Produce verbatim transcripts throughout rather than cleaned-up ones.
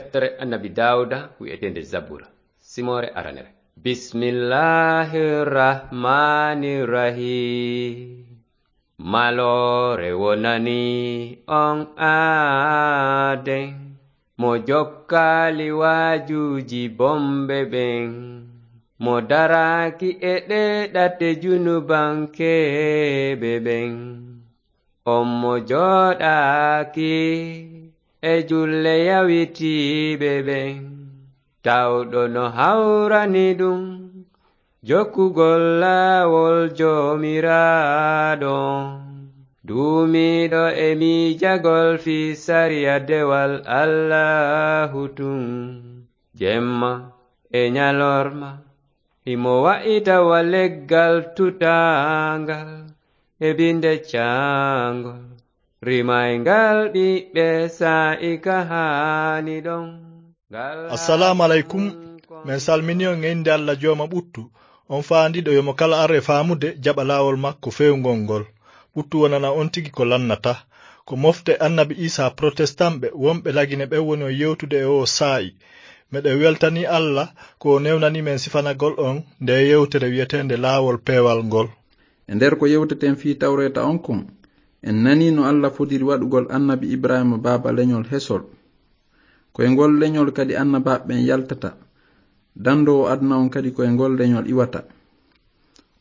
Deftere Annabi Daawuda wi'eteende Zabura, simoore aranere. Bismillaahi rahmaani rahiim. Maloore wonani on aaden, mo jokkaali waajuuji bomɓe ɓen, mo daraaki e ɗee ɗate junubankeeɓe ɓen. On mo jooɗaaki e julle yawitiiɓe ɓen, tawɗo no hawrani ɗum jokkugol laawol Joomiraaɗo on. Duumiiɗo e miijagol fii sariya dewal Allaahu tun, jemma e ɲalorma, himo wa'ita wa leggal tutaangal e binde caangol, rimayngal ɓiɓɓe saa'i ka haani ɗon. Ngal Assalaamu aleykum. Haani kon Men salmini on e innde Alla Jooma ɓuttu, on faandiiɗo yo mo kala ar e faamude jaɓa laawol makko feewngol ngol. Ɓuttu wonana on tigi ko lannata. Ko mofte Annabi Iisaa protestant ɓe wonɓe Lagine ɓen woni on yewtude e oo saa'i. Meɗen weltanii Alla ko o newnanii men sifanagol on ndee yewtere wi'eteende Laawol Peewal ngol. E nder ko yewteten fii Tawreeta on kon, en nanii no Alla fodiri waɗugol Annabi Ibraahiima baaba leɲol hesol. Ko e ngol leɲol kadi annabaaɓe ɓen yaltata. Dandoowo aduna on kadi ko e ngol leɲol iwata.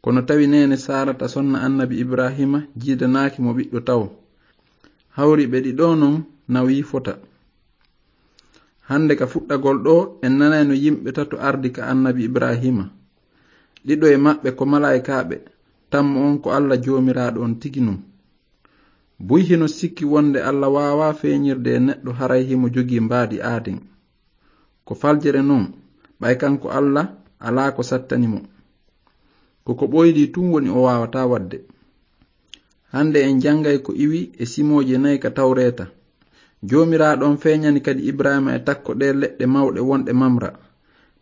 Kono tawi neene Saarata sonna Annabi Ibraahiima jiidanaaki mo ɓiɗɗo tawo. Hawri ɓe ɗiɗo non nawii fota. Hande ka fuɗɗagol ɗoo, en nanayno yimɓe tato ardi ka Annabi Ibraahiima. Ɗiɗo e maɓɓe ko malaa'ikaaɓe, tammo on ko Alla Joomiraaɗo on tigi non. Buy hino sikki wonde Alla waawaa feeɲirde e neɗɗo haray himo jogii mbaadi aaden. Ko faljere non, ɓay kanko Alla alaa ko sattani mo. Ko ko ɓoyli tun woni o waawataa waɗde. Hande en janngay ko iwi e simooje nayi ka Tawreeta. Joomiraaɗo on feeɲani kadi Ibraahiima e takko ɗee leɗɗe mawɗe wonɗe Mamra.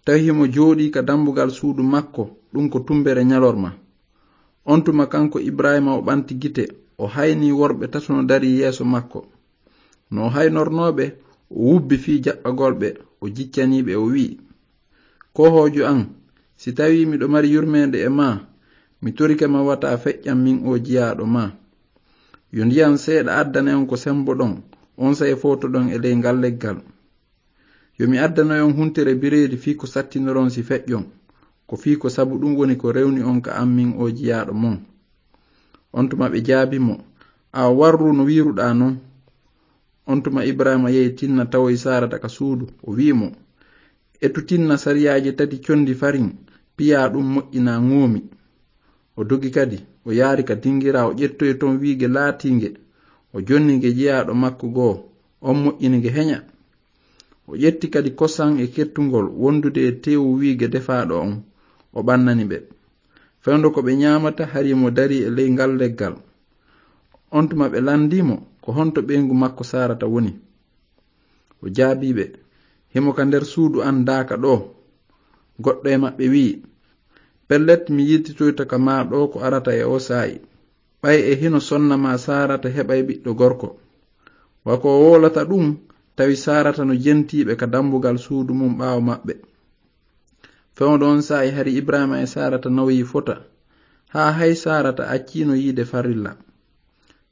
Tawi himo jooɗii ka dambugal suudu makko, ɗun ko tumbere ɲalorma. On tuma kanko Ibraahiima o ɓanti gite, o haynii worɓe tato no darii yeeso makko. No o haynornoo ɓe, o wubbi fii jaɓɓagol ɓe, o jiccanii ɓe, o wi'i, "Koohoojo an, si tawii miɗo mari yurmeende e maa, mi torike ma wata a feƴƴan min oo jiyaaɗo maa. Yo ndiyan seeɗa addane on ko semboɗon, onsay fowtoɗon e ley ngal leggal. Yo mi addanoy on huntere bireedi fii ko sattinoron si feƴƴon, ko fii ko sabu ɗun woni ko rewni on ka an min oo jiyaaɗo mon." On tuma ɓe jaabii mo, "Awa warru no wi'iruɗaa non." On tuma Ibraahiima yehi tinna tawoyi Saarata ka suudu, o wi'i mo, "Etu tinna sariyaaje tati condi farin, piyaa ɗun moƴƴinaa ŋoomi." O dogi kadi, o yaari ka dingiraa, o ƴettoyi ton wiige laatiinge, o jonni nge jiyaaɗo makko goo, on moƴƴini nge heɲa. O ƴetti kadi kosan e kettungol wondude e teewu wiige defaaɗo on, o ɓannani ɓe. Fewndo ko ɓe ɲaamata, hari mo darii e ley ngal leggal. On tuma ɓe landii mo, "Ko honto ɓeyngu makko Saarata woni?" O jaabii ɓe, "Himo ka nder suudu an daaka ɗoo." Goɗɗo e maɓɓe wi'i, "Pellet, mi yiltitoyto ka maa ɗoo ko arata e oo saa'i. Ɓay e hino sonna maa Saarata heɓay ɓiɗɗo gorko." Wa ko o wowlata ɗun, tawi Saarata no jentii ɓe ka dambugal suudu mun ɓaawo maɓɓe. Fewndo on saa'i hari Ibraahiima e Saarata nawyi fota, haa hay Saarata acciino yiide farilla.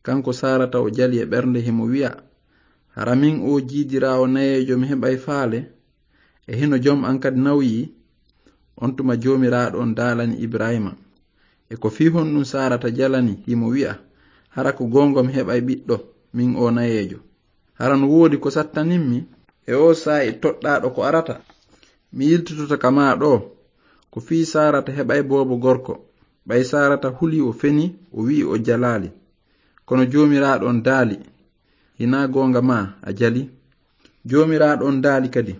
Kanko Saarata o jali e ɓernde, himo wi'a, "Hara min oo jiidiraawo nayeejo mi heɓay faale? E hino jom an kadi nawyi?" On tuma Joomiraaɗo on daalani Ibraahiima, "E ko fii honɗun Saarata jalani, himo wi'a, 'Hara ko goonga mi heɓay ɓiɗɗo, min oo nayeejo'? Hara no woodi ko sattanimmi? E oo saa'i toɗɗaaɗo ko arata? Mi yiltitoto ka maa ɗoo, ko fii Saarata heɓay boobo gorko." Ɓay Saarata hulii, o fenii, o wi'i o jalaali. Kono Joomiraaɗo on daali, "Hinaa goonga maa a jali?" Joomiraaɗo on daali kadi,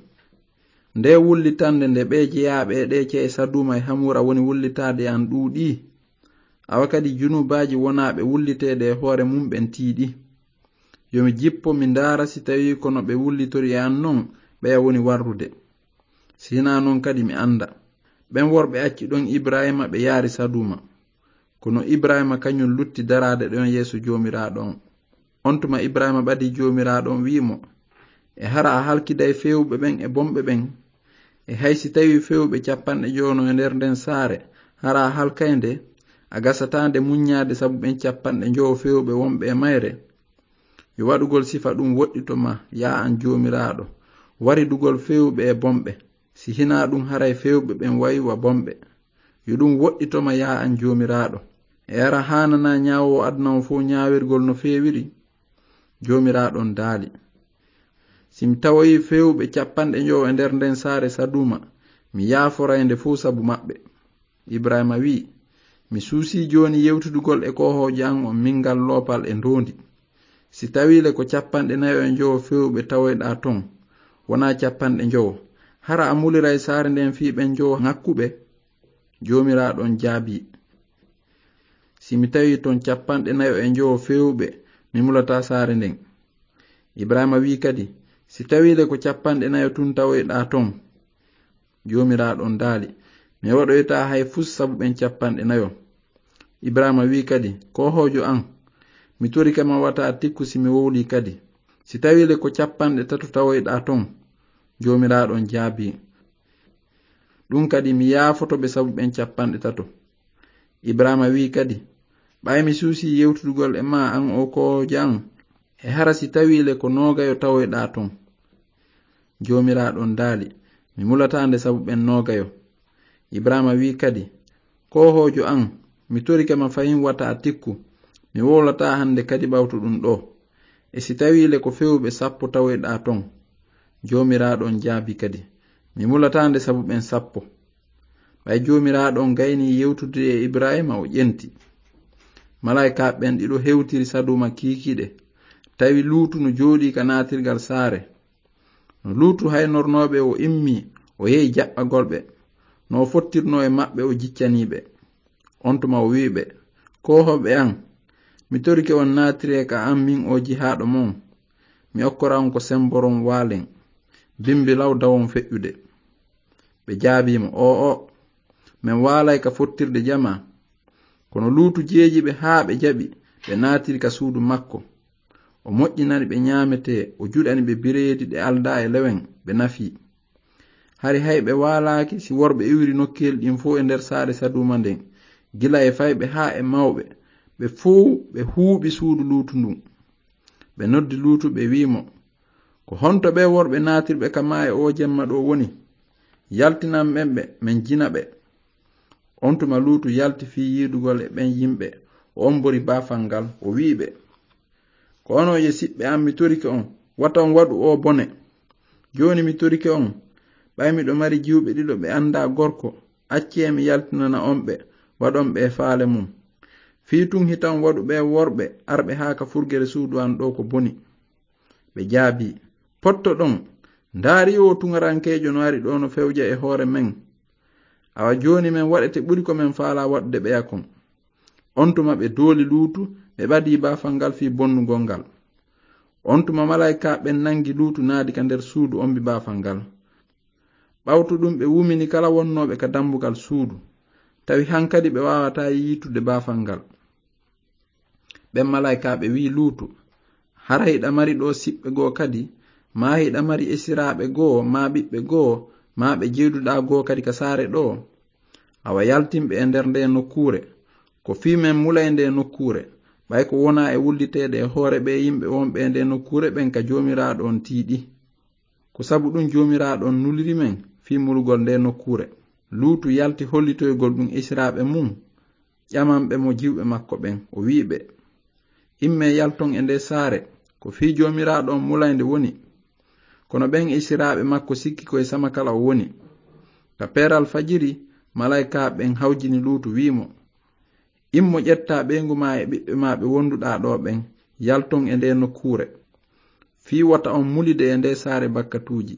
"Ndee wullitannde nde ɓee jeyaaɓe e ɗee ce'e Saduuma e Hamuura woni wullitaade e an ɗuuɗii. Awa kadi junubaaji wonaaɓe wulliteede e hoore mun ɓen tiiɗi. Yo mi jippo, mi ndaara si tawii ko no ɓe wullitori e an non ɓeya woni warrude. Si hinaa non kadi mi annda." Ɓen worɓe acci ɗon Ibraahiima, ɓe yaari Saduuma. Kono Ibraahiima kaɲun lutti daraade ɗon yeeso Joomiraaɗo on. On tuma Ibraahiima ɓadii Joomiraaɗo on, wi'i mo, E hara a halkiday feewɓe ɓen e bonɓe ɓen? E hay si tawii feewɓe cappanɗe njowo no e nder nden saare, hara a halkay nde? A gasataa nde muññaade sabu ɓen cappanɗe njowo feewɓe wonɓe e mayre? Yo waɗugol sifa ɗum woɗɗito ma, yaa an Joomiraaɗo, waridugol feewɓe e bonɓe. Si hinaa ɗum, haray feewɓe ɓen wayi wa bonɓe. Yo ɗum woɗɗito ma, yaa an Joomiraaɗo. E hara haananaa ñaawoowo aduna on fow ñaawirgol no feewiri? Joomiraaɗo on daali, si mi tawoyii feewɓe cappanɗe njowo e nder nden saare Saduma, mi yaaforay nde fow sabu maɓɓe. Ibrahima wi'i, mi suusii jooni yewtidugol e koohoojo an on mingal loopal e ndoondi. Si tawii le ko cappanɗe nayo e njowo feewɓe tawoyɗaa ton, wonaa cappanɗe njowo, hara a muliray saare nden fii ɓen njowo ŋakkuɓe? Joomiraaɗo on jaabii, si mi tawii ton cappanɗe nayo e njowo feewɓe, mi mulataa saare nden. Ibrahima wi'i kadi, si tawii le ko cappanɗe nayo tun tawoyɗaa ton? Joomiraaɗo on daali, mi waɗoytaa hay fus sabu ɓen cappanɗe nayo. Ibrahima wi'i kadi, koohoojo an, mi torike ma wata a tikku si mi wowlii kadi. Si tawii le ko cappanɗe tato tawoyɗaa ton? Joomiraaɗo on jaabii, ɗum kadi mi yaafoto ɓe sabu ɓen cappanɗe tato. Ibrahima wi'i kadi, ɓay mi suusii yewtidugol e maa an oo koohoojo an, e hara si tawii le ko noogayo tawoyɗaa ton? Joomiraaɗo on daali, mi mulataa nde sabu ɓen noogayo. Ibrahima wi'i kadi, koohoojo an, mi torike ma fahin wata a tikku, mi wowlataa hande kadi ɓawto ɗum ɗoo. E si tawii le ko feewɓe sappo tawoyɗaa ton? Joomiraaɗo on jaabii kadi, mi mulataa nde sabu ɓen sappo. Ɓay Joomiraaɗo on gaynii yewtude e Ibrahima, o ƴenti. Malaykaaɓe ɓen ɗiɗo hewtiri Saduma kiikiiɗe, tawi Luutu no jooɗii ka naatirgal saare. No Luutu haynornoo ɓe o immii, o yehi jaɓɓagol ɓe. No o fottirnoo e maɓɓe o jiccanii ɓe. On tuma o wi'i ɓe, koohooɓe an, mi torike on naatiree ka an min oo jihaaɗo mon. Mi okkora on ko semboron waalen, bimbi law dawon feƴƴude. Ɓe jaabii mo, oo'o, men waalay ka fottirde jamaa. Kono Luutu jeeji ɓe haa ɓe jaɓi, ɓe naatiri ka suudu makko. O moƴƴinani ɓe ñaametee, o juɗani ɓe bireedi ɗe aldaa e lewen, ɓe nafii. Hari hay ɓe waalaaki si worɓe iwri nokkeel ɗin fow e nder saare Saduma nden, gila e fayɓe haa e mawɓe, ɓe fow ɓe huuɓi suudu Luutu ndun. Ɓe noddi Luutu, ɓe wi'i mo, ko honto ɓee worɓe naatirɓe ka maayo oo jemma ɗoo woni? Yaltinan men ɓe, men jina ɓe. On tuma Luutu yalti fii yiidugol e ɓen yimɓe, o ombori baafal ngal, o wi'i ɓe, ko onon ye siɓɓe an, mi torike on, wata on waɗu oo bone. Jooni mi torike on, ɓay miɗo mari jiwɓe ɗiɗo ɓe andaa gorko, accee mi yaltinana on ɓe, waɗon ɓe e faale mum. Fii tun hita on waɗu ɓee worɓe arɓe haa ka furgere suudu an ɗoo ko boni. Ɓe jaabii, pottoɗon, ndaari oo tuŋarankeejo no ari ɗoo no fewja e hoore men. Awa jooni men waɗete ɓuri ko men faalaa waɗude ɓeya kon. On tuma ɓe dooli Luutu, ɓe ɓadii baafal ngal fii bonnugol ngal. On tuma malaykaaɓe ɓen nangi Luutu naadi ka nder suudu ombi baafal ngal. Ɓawto ɗum ɓe wumini kala wonnooɓe ka dambugal suudu. Tawi hankadi ɓe waawataa yiitude baafal ngal. Ɓen malaykaaɓe wi'i Luutu, hara hiɗa mari ɗoo siɓɓe goo kadi, maa hiɗa mari esiraaɓe goo, maa ɓiɓɓe goo, maa ɓe jeeduɗaa goo kadi ka saare ɗoo? Awa yaltin ɓe e nder ndee nokkuure. Ko fii men mulay ndee nokkuure, ɓay ko wonaa e wulliteede e hoore ɓee yimɓe wonɓe e ndee nokkuure ɓen ka Joomiraaɗo on tiiɗi. Ko sabu ɗum Joomiraaɗo on nuliri men fii mulugol ndee nokkuure. Luutu yalti hollitoygol ɗum esiraaɓe mum, ƴamanɓe mo jiwɓe makko ɓen. O wi'i ɓe, immee yalton e ndee saare, ko fii Joomiraaɗo on mulay nde woni. Kono ɓen esiraaɓe makko sikki ko e sama kala o woni. Ka peeral fajiri, malaykaaɓe ɓen hawjini Luutu, wi'i mo, immo ƴettaa ɓeyngu maa e ɓiɓɓe maa ɓe wonduɗaa ɗoo ɓen, yalton e ndee nokkuure, fii wota on mulide e ndee saare bakkatuuji.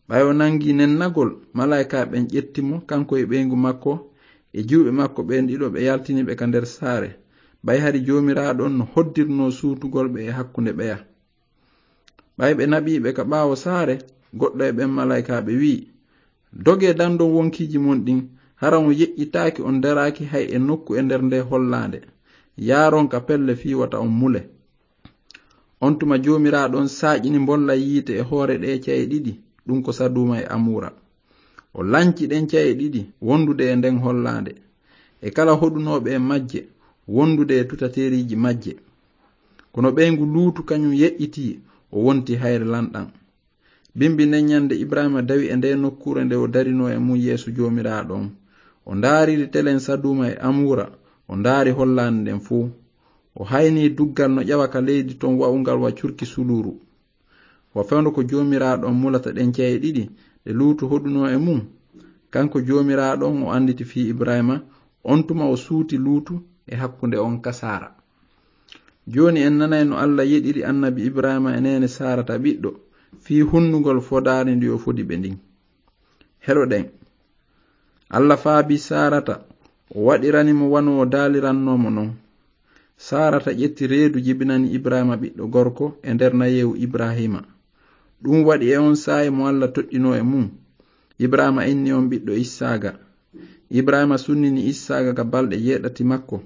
Ɓay o nangii nennagol, malaykaaɓe ɓen ƴetti mo, kanko e ɓeyngu makko, e jiwɓe makko ɓen ɗiɗo, ɓe yaltini ɓe ka nder saare. Ɓay hari Joomiraaɗo on no hoddirnoo suutugol ɓe e hakkunde ɓeya. Ɓay ɓe naɓii ɓe ka ɓaawo saare, goɗɗo e ɓen malaykaaɓe wi'i, dogee dandon wonkiiji mon ɗin, hara on yeƴƴitaaki, on daraaki hay e nokku e nder ndee hollaande. Yaaron ka pelle fii wata on mule. On tuma Joomiraaɗo on saaƴini mbolla yiite e hoore ɗee ca'e ɗiɗi, ɗum ko Saduuma e Amuura. O lanci ɗen ca'e ɗiɗi wondude e nden hollaande, e kala hoɗunooɓe e majje wondude e tutateeriiji majje. Kono ɓeyngu Luutu kañum yeƴƴitii, o wonti hayre lanɗan. Bimbi nden ñande Ibrahiima dawi e nde nokkuure nde o darinoo e mum yeeso Joomiraaɗo on. O ndaariri telen Saduuma e Amuura, o ndaari hollaande nden fow. O hayni duggal no ƴawa ka leydi ton wa'ungal wa curki suluuru. Wa fewndo ko Joomiraaɗo on mulata ɗen ca'e ɗiɗi ɗe Luutu hoɗunoo e mum. Kanko Joomiraaɗo on o annditi fii Ibrahiima, on tuma o suuti Luutu e hakkunde on ka Saara. Jooni en nanay no Alla yeɗiri annabi Ibrahiima e neene Saarata ɓiɗɗo fii hunnugol fodaari ndi o fodi ɓe ndin. Heɗoɗen. Alla faabii Saarata, o waɗirani mo wano o daalirannoo mo non. Saarata ƴetti reedu jibinani Ibrahiima ɓiɗɗo gorko e nder nayeewu Ibrahiima. Ɗum waɗi e on saa'i mo Alla toɗɗinoo e mum. Ibrahiima inni on ɓiɗɗo Issaaga. Ibrahiima sunnini Issaaga ka balɗe jeeɗati makko.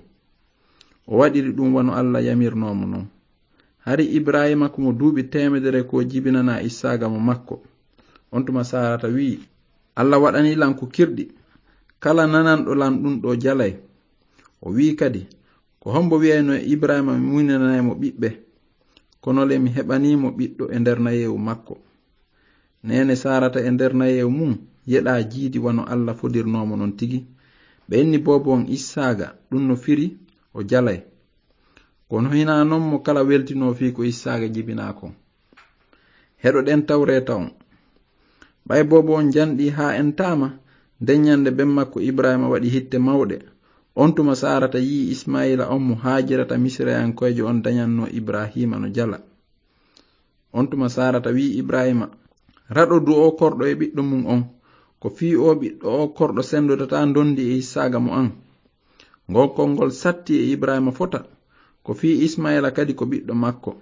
O waɗiri ɗum wano Alla yamirnoo mo non. Hari Ibrahiima ko mo duuɓi teemedere ko jibinanaa Issaaga mo makko. On tuma Saarata wi'i, "Alla waɗanii lan ko kirɗi. Kala nananɗo lan ɗum ɗoo jalay." O wi'i kadi, "Ko hombo wi'ayno e Ibrahiima mi muynanay mo ɓiɓɓe? Kono le mi heɓanii mo ɓiɗɗo e nder nayeewu makko." Neene Saarata e nder nayeewu mum yeɗaa jiidi wano Alla fodirnoo mo non tigi. Ɓe inni boobo on Issaaga, ɗum no firi o jalay. Kono hinaa non mo kala weltinoo fii ko Issaaga jibinaa kon. Heɗoɗen Tawreeta on. Ɓay boobo on janɗii haa entaama, nden ñande ben makko Ibrahiima waɗi hitte mawɗe. On tuma Saarata yi'i Isma'iila on mo Haajirata Misirayankoyjo on dañannoo Ibrahiima no jala. On tuma Saarata wi'i Ibrahiima, "Raɗodu o korɗo e ɓiɗɗo mum on, ko fii o ɓiɗɗo o korɗo sendodataa ndondi e Issaaga mo an." Ngol konngol satti e Ibrahiima fota, ko fii Isma'iila kadi ko ɓiɗɗo makko.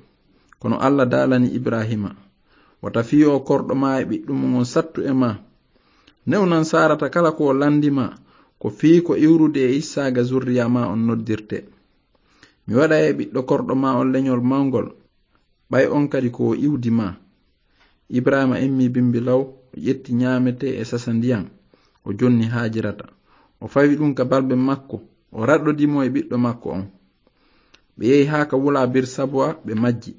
Kono Alla daalani Ibrahiima, "Wata fii o korɗo maa e ɓiɗɗo mum on sattu e maa. Newnan Saarata kala ko o landi maa, ko fii ko iwrude e Issaaga zurriya maa on noddirte. Mi waɗa e ɓiɗɗo korɗo maa on leñol mawngol, ɓay on kadi ko o iwdi maa." Ibrahiima immi bimbi law, o ƴetti ñaametee e sasa ndiyan, o jonni Haajirata. O fawi ɗum ka balbe makko, o raɗɗodi mo e ɓiɗɗo makko on. Ɓe yehi haa ka wula Birsabowa, ɓe majji.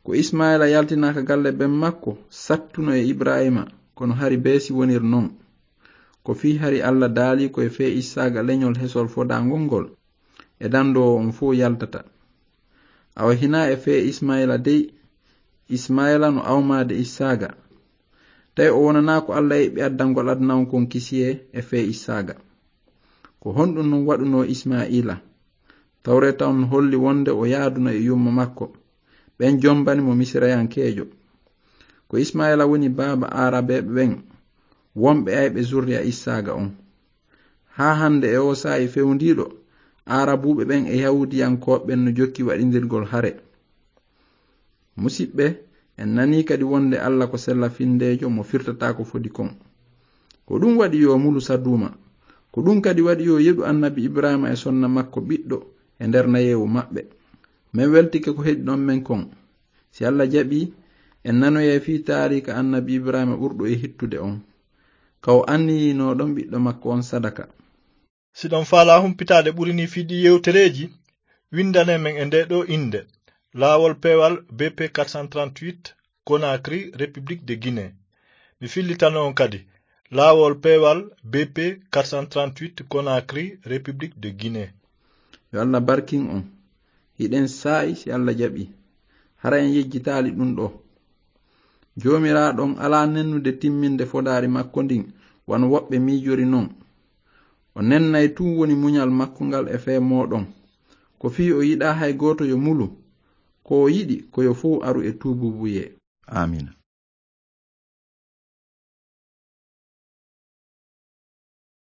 Ko Isma'iila yaltinaa ka galle ben makko, sattuno e Ibrahiima, kono hari beesi wonir non. Ko fii hari Alla daali ko e fee Issaaga leñol hesol fodaangol ngol, e dandoowo on fow yaltata. Awa hinaa e fee Isma'iila dey, Isma'iila no awmaade Issaaga. Tawi o wonanaa ko Alla eɓɓi addangol aduna on kon kisiyee e fee Issaaga. Ko honɗum non waɗunoo Isma'iila? Tawreeta on holli wonde o yaaduno e yumma makko. Ɓen jombani mo Misirayankeejo. Ko Isma'iila woni baaba Aarabeeɓe ɓen, wonɓe ayɓe zurriya Issaaga on. Haa hande e oo saa'i fewndiiɗo, Aarabuuɓe ɓen e Yahuudiyankooɓe ɓen no jokki waɗindirgol hare. Musiɓɓe, en nanii kadi wonde Alla ko sella findeejo mo firtataa ko fodi kon. Ko ɗum waɗi yo mulu Saduuma. Ko ɗum kadi waɗi yo yeɗu annabi Ibrahiima e sonna makko ɓiɗɗo e nder nayeewu maɓɓe. Men weltike ko heɗi ɗon men kon. Si Alla jaɓii, en nanoyay fii taariika annabi Ibrahiima ɓurɗo e hittude on. Ka o anniyinoo ɗon ɓiɗɗo makko on sadaka. Si ɗon faalaa humpitaade ɓuri nii fii ɗii yewtereeji, winndane men e ndee ɗoo innde, Laawol Peewal B P quatre cent trente-huit, Conakry, République de Guinée. Mi fillitano on kadi, Laawol Peewal B P quatre cent trente-huit, Conakry, République de Guinée. Yo Alla barkin on. Hiɗen saa'i si Alla jaɓii. Hara en yejjitaali ɗum ɗoo. Joomiraaɗo on alaa nennude timminde fodaari makko ndin, wano woɓɓe miijori non. O nennay tun woni muñal makko ngal e fee mooɗon. Ko fii o yiɗaa hay gooto yo mulu. Ko o yiɗi ko yo fow aru e tuubuubuyee. Aamiina.